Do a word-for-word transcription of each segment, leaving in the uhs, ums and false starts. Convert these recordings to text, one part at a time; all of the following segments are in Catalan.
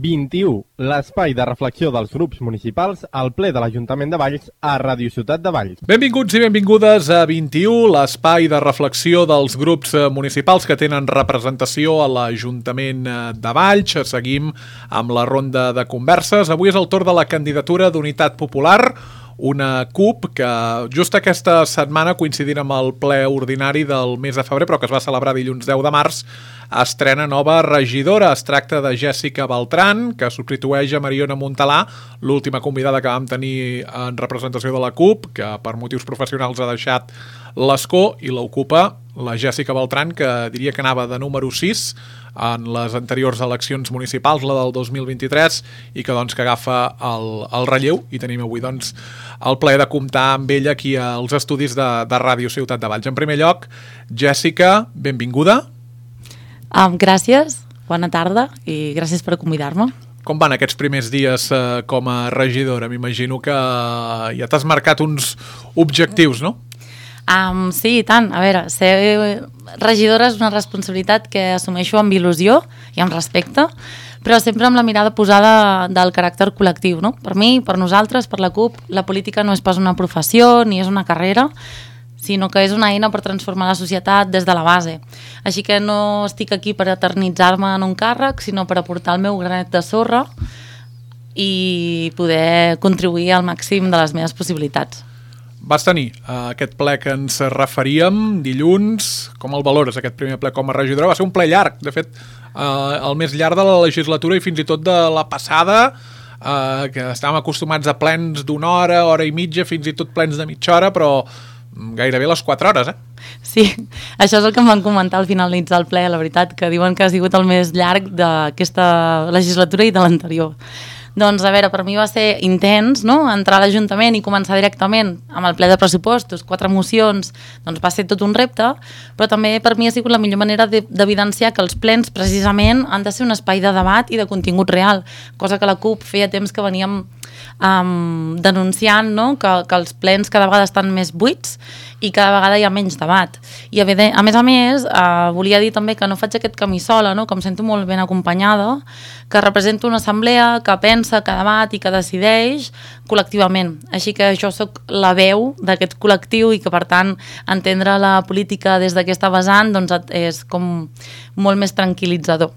vint-i-u, l'espai de reflexió dels grups municipals al ple de l'Ajuntament de Valls a Ràdio Ciutat de Valls. Benvinguts i benvingudes a vint-i-u, l'espai de reflexió dels grups municipals que tenen representació a l'Ajuntament de Valls. Seguim amb la ronda de converses. Avui és el torn de la candidatura d'Unitat Popular, una C U P que just aquesta setmana, coincidint amb el ple ordinari del mes de febrer, però que es va celebrar dilluns deu de març, estrena nova regidora. Es tracta de Jèssica Beltran, que substitueix a Mariona Montalà, l'última convidada que vam tenir en representació de la C U P, que per motius professionals ha deixat l'escó, i l'ocupa la Jèssica Beltran, que diria que anava de número sis en les anteriors eleccions municipals, la del dos mil vint-i-tres, i que doncs que agafa el, el relleu, i tenim avui doncs el plaer de comptar amb ella aquí als estudis de, de Ràdio Ciutat de Valls. En primer lloc, Jèssica, benvinguda. Um, gràcies, bona tarda i gràcies per convidar-me. Com van aquests primers dies eh, com a regidora? M'imagino que ja t'has marcat uns objectius, no? Um, sí, i tant. A veure, ser regidora és una responsabilitat que assumeixo amb il·lusió i amb respecte, però sempre amb la mirada posada del caràcter col·lectiu, no? Per mi, per nosaltres, per la C U P, la política no és pas una professió ni és una carrera, sinó que és una eina per transformar la societat des de la base. Així que no estic aquí per eternitzar-me en un càrrec, sinó per aportar el meu granet de sorra i poder contribuir al màxim de les meves possibilitats. Vas tenir uh, aquest ple que ens referíem dilluns. Com el valores, aquest primer ple com a regidora? Va ser un ple llarg, de fet, uh, el més llarg de la legislatura i fins i tot de la passada, uh, que estàvem acostumats a plens d'una hora, hora i mitja, fins i tot plens de mitja hora, però gairebé les quatre hores, eh? Sí, això és el que em van comentar al finalitzar el ple, la veritat, que diuen que ha sigut el més llarg d'aquesta legislatura i de l'anterior. Doncs, a veure, per mi va ser intens, no?, entrar a l'Ajuntament i començar directament amb el ple de pressupostos, quatre mocions, doncs va ser tot un repte, però també per mi ha sigut la millor manera d'evidenciar que els plens, precisament, han de ser un espai de debat i de contingut real, cosa que la C U P feia temps que veníem um, denunciant, no?, que, que els plens cada vegada estan més buits i cada vegada hi ha menys debat. I a més a més, eh, volia dir també que no faig aquest camí sola, no?, que em sento molt ben acompanyada, que represento una assemblea que pensa, que debat i que decideix col·lectivament. Així que jo sóc la veu d'aquest col·lectiu i que, per tant, entendre la política des d'aquesta vessant doncs, és com molt més tranquil·litzador.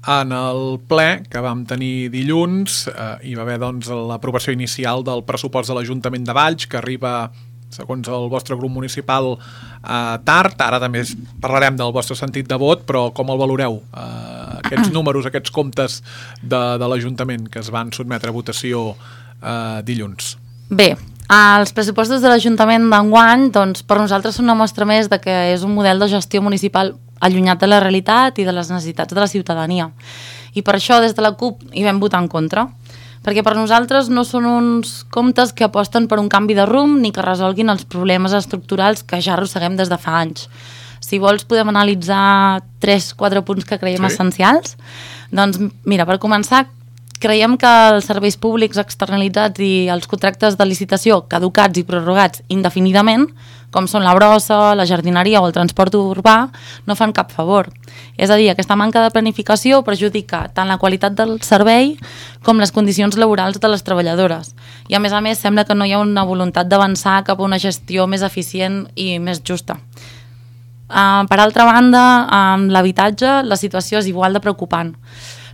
En el ple que vam tenir dilluns eh, hi va haver doncs, l'aprovació inicial del pressupost de l'Ajuntament de Valls, que arriba, segons el vostre grup municipal, eh, tard. Ara també parlarem del vostre sentit de vot, però com el valoreu? Eh, aquests números, aquests comptes de, de l'Ajuntament que es van sotmetre a votació eh, dilluns. Bé, els pressupostos de l'Ajuntament d'enguany, doncs, per nosaltres són una mostra més de que és un model de gestió municipal allunyat de la realitat i de les necessitats de la ciutadania. I per això, des de la C U P, hi vam votar en contra. Perquè per nosaltres no són uns comptes que aposten per un canvi de rumb ni que resolguin els problemes estructurals que ja arrosseguem des de fa anys. Si vols podem analitzar tres o quatre punts que creiem sí. essencials. Doncs mira, per començar, creiem que els serveis públics externalitzats i els contractes de licitació caducats i prorrogats indefinidament, com són la brossa, la jardineria o el transport urbà, no fan cap favor. És a dir, aquesta manca de planificació perjudica tant la qualitat del servei com les condicions laborals de les treballadores. I a més a més sembla que no hi ha una voluntat d'avançar cap a una gestió més eficient i més justa. Uh, per altra banda, amb l'habitatge la situació és igual de preocupant.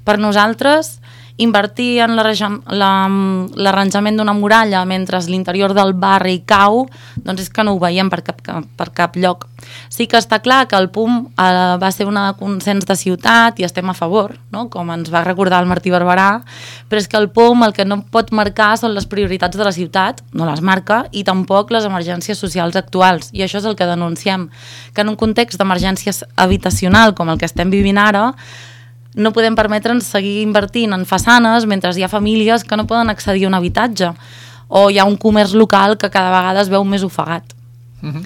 Per nosaltres, invertir en l'arranjament d'una muralla mentre l'interior del barri cau, doncs és que no ho veiem per cap, per cap lloc. Sí que està clar que el P U M eh, va ser un consens de ciutat i estem a favor, no?, com ens va recordar el Martí Barberà, però és que el P U M el que no pot marcar són les prioritats de la ciutat, no les marca, i tampoc les emergències socials actuals, i això és el que denunciem, que en un context d'emergència habitacional com el que estem vivint ara, no podem permetre'ns seguir invertint en façanes mentre hi ha famílies que no poden accedir a un habitatge o hi ha un comerç local que cada vegada es veu més ofegat. Uh-huh.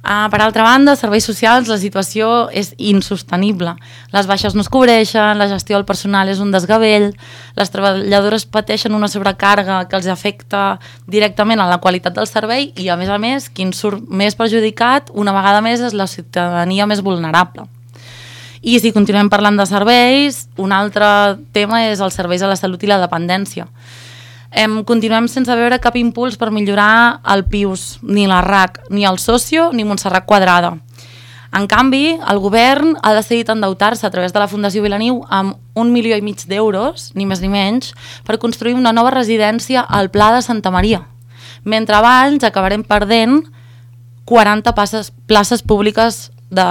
Uh, per altra banda, serveis socials, la situació és insostenible. Les baixes no es cobreixen, la gestió del personal és un desgavell, les treballadores pateixen una sobrecàrrega que els afecta directament a la qualitat del servei i, a més a més, qui en surt més perjudicat una vegada més és la ciutadania més vulnerable. I si continuem parlant de serveis, un altre tema és els serveis a la salut i la dependència. Em, continuem sense veure cap impuls per millorar el P I U S, ni la R A C, ni el Socio, ni Montserrat Quadrada. En canvi, el govern ha decidit endeutar-se a través de la Fundació Vilaniu amb un milió i mig d'euros, ni més ni menys, per construir una nova residència al Pla de Santa Maria. Mentre abans acabarem perdent quaranta places, places públiques de,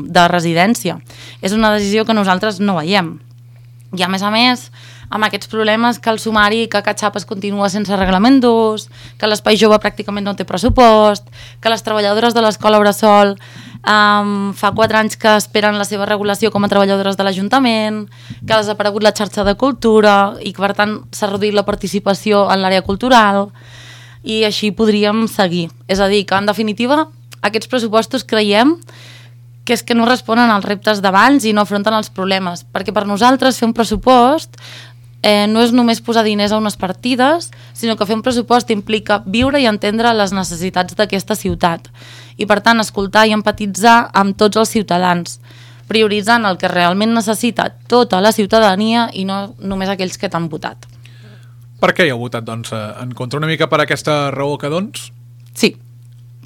de residència. És una decisió que nosaltres no veiem. I a més a més, amb aquests problemes que el sumari, que Catxap es continua sense reglament d'ús, que l'Espai Jove pràcticament no té pressupost, que les treballadores de l'Escola Bressol um, fa quatre anys que esperen la seva regulació com a treballadores de l'Ajuntament, que ha desaparegut la xarxa de cultura i que per tant s'ha reduït la participació en l'àrea cultural, i així podríem seguir. És a dir, que en definitiva aquests pressupostos creiem que és que no responen als reptes d'abans i no afronten els problemes, perquè per nosaltres fer un pressupost eh, no és només posar diners a unes partides, sinó que fer un pressupost implica viure i entendre les necessitats d'aquesta ciutat i per tant escoltar i empatitzar amb tots els ciutadans, prioritzant el que realment necessita tota la ciutadania i no només aquells que t'han votat. Per què hi heu votat, doncs, en contra? Una mica per aquesta raó que, doncs? Sí,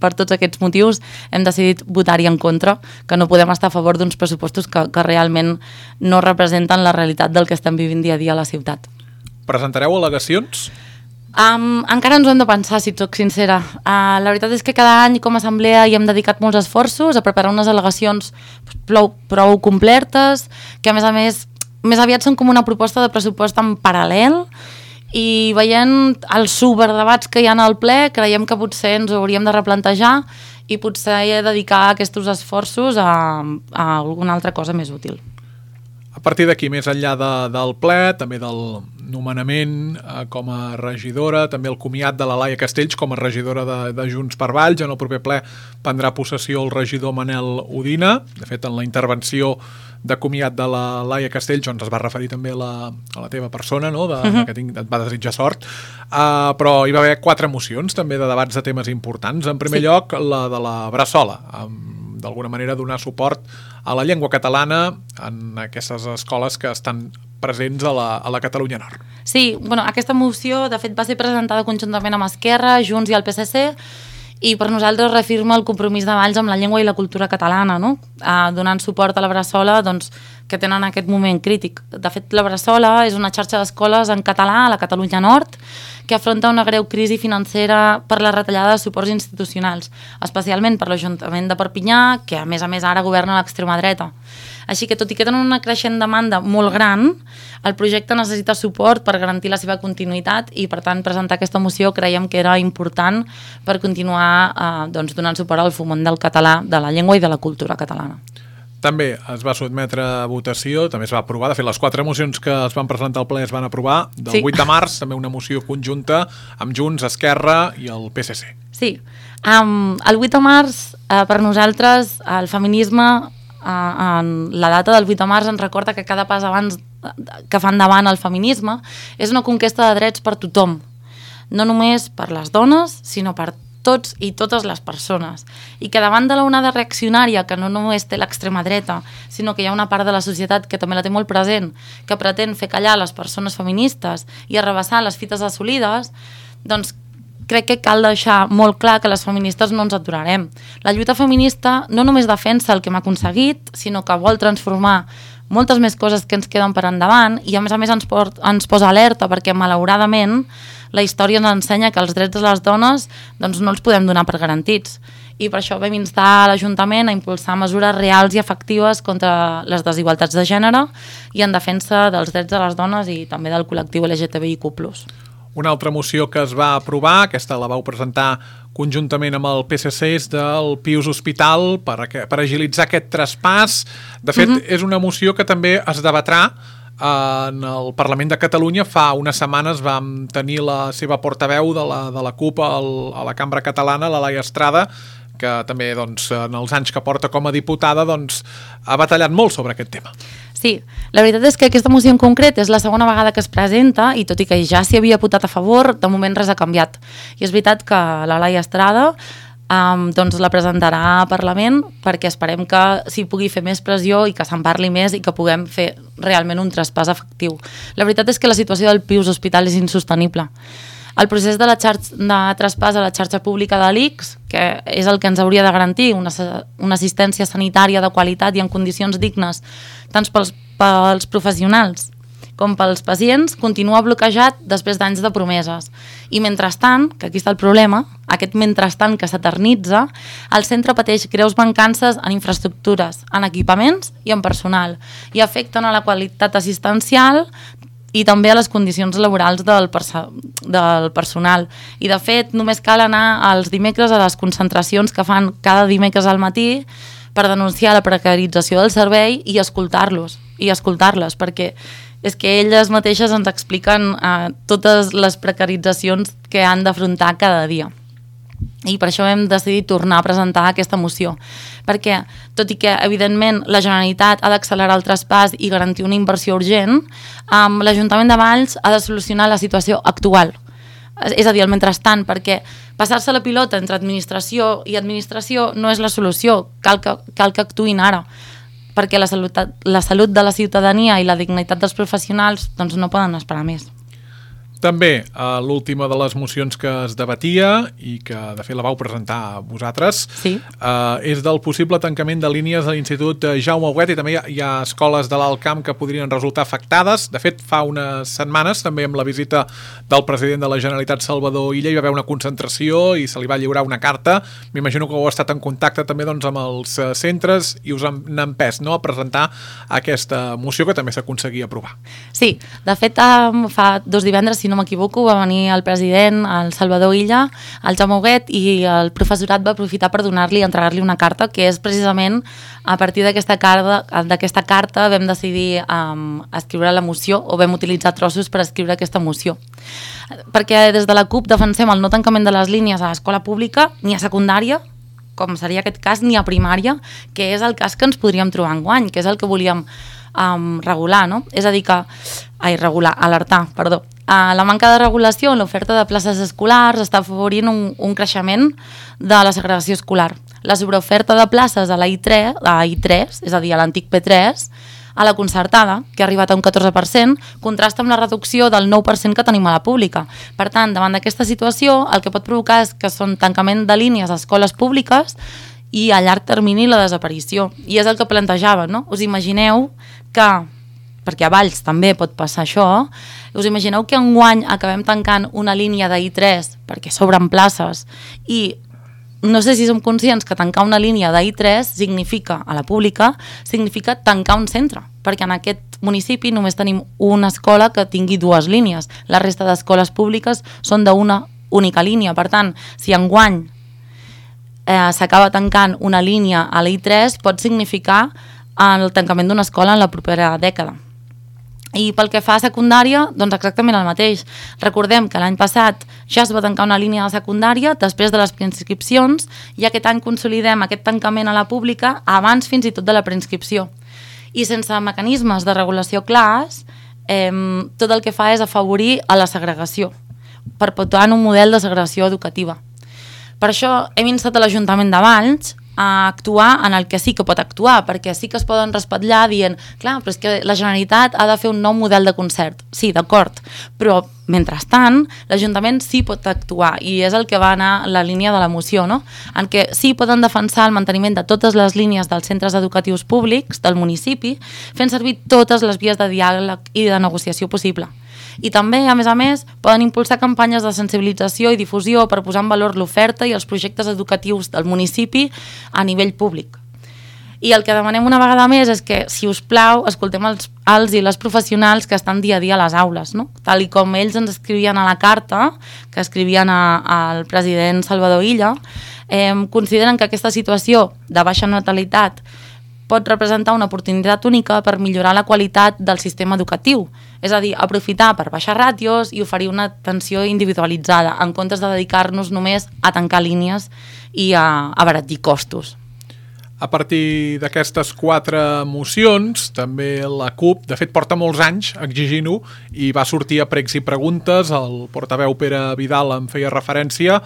per tots aquests motius hem decidit votar-hi en contra, que no podem estar a favor d'uns pressupostos que, que realment no representen la realitat del que estem vivint dia a dia a la ciutat. Presentareu al·legacions? Um, encara ens ho hem de pensar, si et soc sincera. Uh, la veritat és que cada any com a assemblea hi hem dedicat molts esforços a preparar unes al·legacions prou, prou complertes, que a més a més, més aviat són com una proposta de pressupost en paral·lel, i veient els superdebats que hi ha al ple, creiem que potser ens ho hauríem de replantejar i potser dedicar aquests esforços a, a alguna altra cosa més útil. A partir d'aquí, més enllà de, del ple, també del nomenament eh, com a regidora, també el comiat de la Laia Castells com a regidora de, de Junts per Valls. En el proper ple prendrà possessió el regidor Manel Udina. De fet, en la intervenció de comiat de la Laia Castells doncs es va referir també a la, a la teva persona, no? de, uh-huh. que tinc, et va desitjar sort, uh, però hi va haver quatre mocions també de debats de temes importants. En primer sí. lloc, la de la Bressola, amb d'alguna manera donar suport a la llengua catalana en aquestes escoles que estan presents a la, a la Catalunya Nord. Sí, bueno, aquesta moció de fet va ser presentada conjuntament amb Esquerra, Junts i el P S C, i per nosaltres reafirma el compromís de Valls amb la llengua i la cultura catalana, no? eh, donant suport a la Bressola doncs, que tenen aquest moment crític. De fet, la Bressola és una xarxa d'escoles en català a la Catalunya Nord que afronta una greu crisi financera per la retallada de suports institucionals, especialment per l'Ajuntament de Perpinyà, que a més a més ara governa l'extrema dreta. Així que, tot i que tenen una creixent demanda molt gran, el projecte necessita suport per garantir la seva continuïtat i, per tant, presentar aquesta moció creiem que era important per continuar eh, doncs, donant suport al foment del català, de la llengua i de la cultura catalana. També es va sotmetre a votació, també es va aprovar, de fet les quatre mocions que es van presentar al ple es van aprovar, del sí. vuit de març, també una moció conjunta amb Junts, Esquerra i el P S C. Sí, um, el vuit de març eh, per nosaltres el feminisme, eh, en la data del vuit de març ens recorda que cada pas abans que fa endavant el feminisme és una conquesta de drets per tothom, no només per les dones, sinó per tots i totes les persones, i que davant de la onada reaccionària que no només té l'extrema dreta, sinó que hi ha una part de la societat que també la té molt present, que pretén fer callar les persones feministes i arrabassar les fites assolides, doncs crec que cal deixar molt clar que les feministes no ens aturarem. La lluita feminista no només defensa el que hem aconseguit, sinó que vol transformar moltes més coses que ens queden per endavant i a més a més ens, port, ens posa alerta perquè malauradament la història ens ensenya que els drets de les dones doncs, no els podem donar per garantits. I per això vam instar a l'Ajuntament a impulsar mesures reals i efectives contra les desigualtats de gènere i en defensa dels drets de les dones i també del col·lectiu L G T B I Q plus. Una altra moció que es va aprovar, aquesta la vau presentar conjuntament amb el P S C, és del Pius Hospital per, a, per agilitzar aquest traspàs. De fet, uh-huh. és una moció que també es debatrà en el Parlament de Catalunya. Fa unes setmanes vam tenir la seva portaveu de la, de la CUP al, a la Cambra Catalana, la Laia Estrada, que també doncs, en els anys que porta com a diputada doncs, ha batallat molt sobre aquest tema. Sí, la veritat és que aquesta moció en concret és la segona vegada que es presenta i tot i que ja s'hi havia votat a favor, de moment res ha canviat. I és veritat que la Laia Estrada Um, doncs la presentarà a Parlament perquè esperem que s'hi pugui fer més pressió i que se'n parli més i que puguem fer realment un traspàs efectiu. La veritat és que la situació del Pius Hospital és insostenible. El procés de, la xarxa, de traspàs a la xarxa pública de l'I C S, que és el que ens hauria de garantir una, una assistència sanitària de qualitat i en condicions dignes tant pels, pels professionals com pels pacients, continua bloquejat després d'anys de promeses. I mentrestant, que aquí està el problema, aquest mentrestant que s'eternitza, el centre pateix greus mancances en infraestructures, en equipaments i en personal, i afecten a la qualitat assistencial i també a les condicions laborals del, perso del personal. I de fet, només cal anar els dimecres a les concentracions que fan cada dimecres al matí per denunciar la precarització del servei i escoltar-los, i escoltar-les, perquè és que elles mateixes ens expliquen eh, totes les precaritzacions que han d'afrontar cada dia. I per això hem decidit tornar a presentar aquesta moció, perquè, tot i que, evidentment, la Generalitat ha d'accelerar el traspàs i garantir una inversió urgent, eh, l'Ajuntament de Valls ha de solucionar la situació actual. És a dir, el mentrestant, perquè passar-se la pilota entre administració i administració no és la solució, cal que, cal que actuïn ara, perquè la salut, la salut de la ciutadania i la dignitat dels professionals doncs no poden esperar més. També, eh, l'última de les mocions que es debatia i que de fet la vau presentar a vosaltres, sí. eh, és del possible tancament de línies de l'Institut Jaume Huguet, i també hi ha, hi ha escoles de l'Alt Camp que podrien resultar afectades. De fet, fa unes setmanes, també amb la visita del president de la Generalitat, Salvador Illa, hi va haver una concentració i se li va lliurar una carta. M'imagino que heu estat en contacte també doncs, amb els centres i us han empès, no?, a presentar aquesta moció que també s'aconseguia aprovar. Sí, de fet, um, fa dos divendres, si no m'equivoco, va venir el president, el Salvador Illa, el Jaume Huguet, i el professorat va aprofitar per donar-li, entregar-li una carta, que és precisament a partir d'aquesta carta, d'aquesta carta vam decidir um, escriure la moció, o vam utilitzar trossos per escriure aquesta moció. Perquè des de la CUP defensem el no tancament de les línies a l'escola pública, ni a secundària, com seria aquest cas, ni a primària, que és el cas que ens podríem trobar enguany, que és el que volíem um, regular, no? És a dir que... Ai, regular, alertar, perdó. Uh, la manca de regulació en l'oferta de places escolars està afavorint un, un creixement de la segregació escolar. La sobreoferta de places a la I tres, a la I tres, és a dir, a l'antic P tres, a la concertada, que ha arribat a un catorze per cent, contrasta amb la reducció del nou per cent que tenim a la pública. Per tant, davant d'aquesta situació, el que pot provocar és que són tancament de línies a escoles públiques i a llarg termini la desaparició. I és el que plantejava, no? Us imagineu que, perquè a Valls també pot passar això, us imagineu que enguany acabem tancant una línia de I tres perquè s'obren places i no sé si som conscients que tancar una línia de I tres significa, a la pública, significa tancar un centre, perquè en aquest municipi només tenim una escola que tingui dues línies. La resta d'escoles públiques són d'una única línia. Per tant, si enguany eh, s'acaba tancant una línia a la I tres, pot significar el tancament d'una escola en la propera dècada. I pel que fa a secundària, doncs exactament el mateix. Recordem que l'any passat ja es va tancar una línia de secundària després de les preinscripcions i aquest any consolidem aquest tancament a la pública abans fins i tot de la preinscripció. I sense mecanismes de regulació clars, eh, tot el que fa és afavorir a la segregació, perpetuant un model de segregació educativa. Per això hem instat a l'Ajuntament de Valls a actuar en el que sí que pot actuar, perquè sí que es poden respatlar dient, clar, però és que la Generalitat ha de fer un nou model de concert. Sí, d'acord, però mentrestant l'Ajuntament sí pot actuar i és el que va anar la línia de la moció, no? En què sí poden defensar el manteniment de totes les línies dels centres educatius públics del municipi, fent servir totes les vies de diàleg i de negociació possible. I també, a més a més, poden impulsar campanyes de sensibilització i difusió per posar en valor l'oferta i els projectes educatius del municipi a nivell públic. I el que demanem una vegada més és que, si us plau, escoltem els, els i les professionals que estan dia a dia a les aules, no? Tal i com ells ens escrivien a la carta, que escrivien al president Salvador Illa, eh, consideren que aquesta situació de baixa natalitat pot representar una oportunitat única per millorar la qualitat del sistema educatiu, és a dir, aprofitar per baixar ràtios i oferir una atenció individualitzada, en comptes de dedicar-nos només a tancar línies i a abaratir costos. A partir d'aquestes quatre mocions, també la CUP, de fet, porta molts anys exigint-ho i va sortir a pregs i preguntes, el portaveu Pere Vidal en feia referència.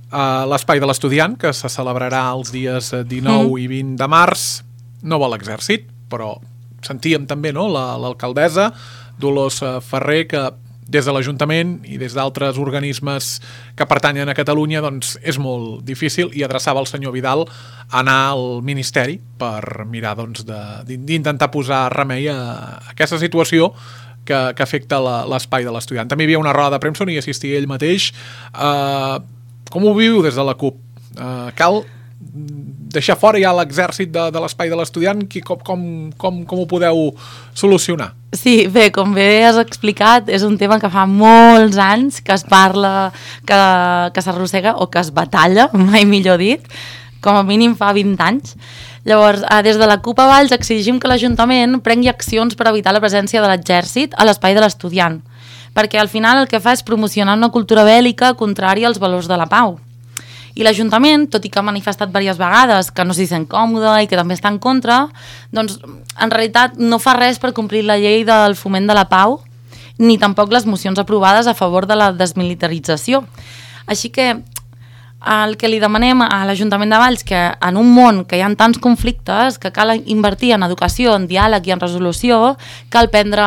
Uh, L'espai de l'estudiant, que se celebrarà els dies dinou mm. i vint de març, no va l'exèrcit, però sentíem també, no?, l'alcaldessa Dolors Ferrer, que des de l'Ajuntament i des d'altres organismes que pertanyen a Catalunya, doncs és molt difícil, i adreçava el senyor Vidal a anar al Ministeri per mirar, doncs, d'intentar posar remei a aquesta situació que, que afecta l'espai de l'estudiant. També hi havia una roda de premsa on hi assistia ell mateix. Uh, com ho viu des de la CUP? Uh, cal deixar fora ja l'exèrcit de, de l'espai de l'estudiant? Com, com, com, com ho podeu solucionar? Sí, bé, com bé has explicat, és un tema que fa molts anys que es parla, que, que s'arrossega o que es batalla, mai millor dit, com a mínim fa vint anys. Llavors, des de la CUP a Valls exigim que l'Ajuntament prengui accions per evitar la presència de l'exèrcit a l'espai de l'estudiant, perquè al final el que fa és promocionar una cultura bèl·lica contrària als valors de la pau. I l'Ajuntament, tot i que ha manifestat diverses vegades que no s'hi sent còmode i que també està en contra, doncs en realitat no fa res per complir la llei del foment de la pau, ni tampoc les mocions aprovades a favor de la desmilitarització. Així que el que li demanem a l'Ajuntament de Valls, que en un món que hi ha tants conflictes, que cal invertir en educació, en diàleg i en resolució, cal prendre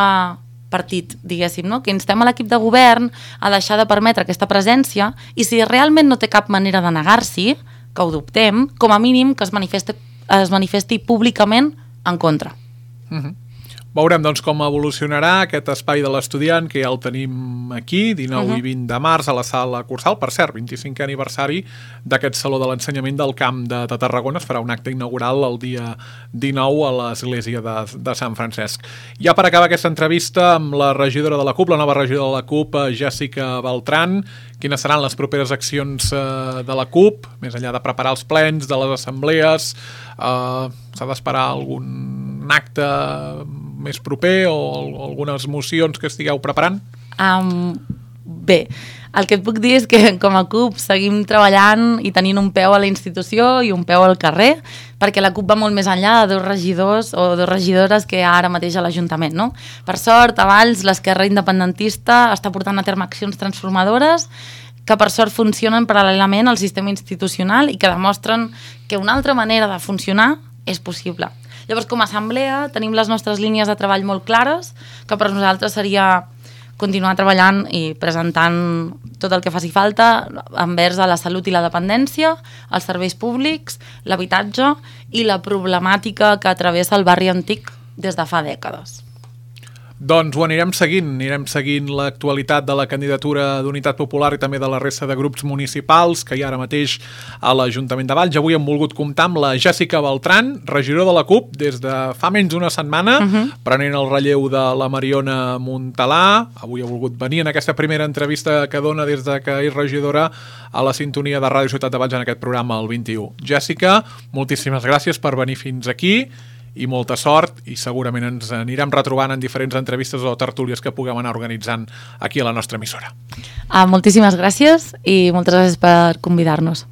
partit, diguéssim, no? Que instem a l'equip de govern a deixar de permetre aquesta presència, i si realment no té cap manera de negar-s'hi, que ho dubtem, com a mínim que es manifesti, es manifesti públicament en contra. Uh-huh. Veurem, doncs, com evolucionarà aquest espai de l'estudiant, que ja el tenim aquí, dinou uh-huh. i vint de març, a la sala Cursal. Per cert, vint-i-cinquè aniversari d'aquest Saló de l'Ensenyament del Camp de, de Tarragona. Es farà un acte inaugural el dia dinou a l'església de, de Sant Francesc. Ja per acabar aquesta entrevista amb la regidora de la CUP, la nova regidora de la CUP, Jessica Beltran, quines seran les properes accions eh, de la CUP, més enllà de preparar els plens, de les assemblees, eh, s'ha d'esperar algun acte més proper o algunes mocions que estigueu preparant? Um, bé, el que et puc dir és que com a CUP seguim treballant i tenint un peu a la institució i un peu al carrer, perquè la CUP va molt més enllà de dos regidors o dos regidores que hi ha ara mateix a l'Ajuntament, no? Per sort, a Valls, l'esquerra independentista està portant a terme accions transformadores que per sort funcionen paral·lelament al sistema institucional i que demostren que una altra manera de funcionar és possible. Llavors, com a assemblea, tenim les nostres línies de treball molt clares, que per nosaltres seria continuar treballant i presentant tot el que faci falta envers a la salut i la dependència, els serveis públics, l'habitatge i la problemàtica que travessa el barri antic des de fa dècades. Doncs ho anirem seguint, anirem seguint l'actualitat de la candidatura d'Unitat Popular i també de la resta de grups municipals que hi ha ara mateix a l'Ajuntament de Valls. Avui hem volgut comptar amb la Jessica Beltran, regidora de la CUP des de fa menys d'una setmana, uh-huh. prenent el relleu de la Mariona Montalà. Avui ha volgut venir en aquesta primera entrevista que dona des de que és regidora a la sintonia de Ràdio Ciutat de Valls en aquest programa el vint-i-u. Jessica, moltíssimes gràcies per venir fins aquí i molta sort, i segurament ens anirem retrobant en diferents entrevistes o tertúlies que puguem anar organitzant aquí a la nostra emissora. Ah, moltíssimes gràcies i moltes gràcies per convidar-nos.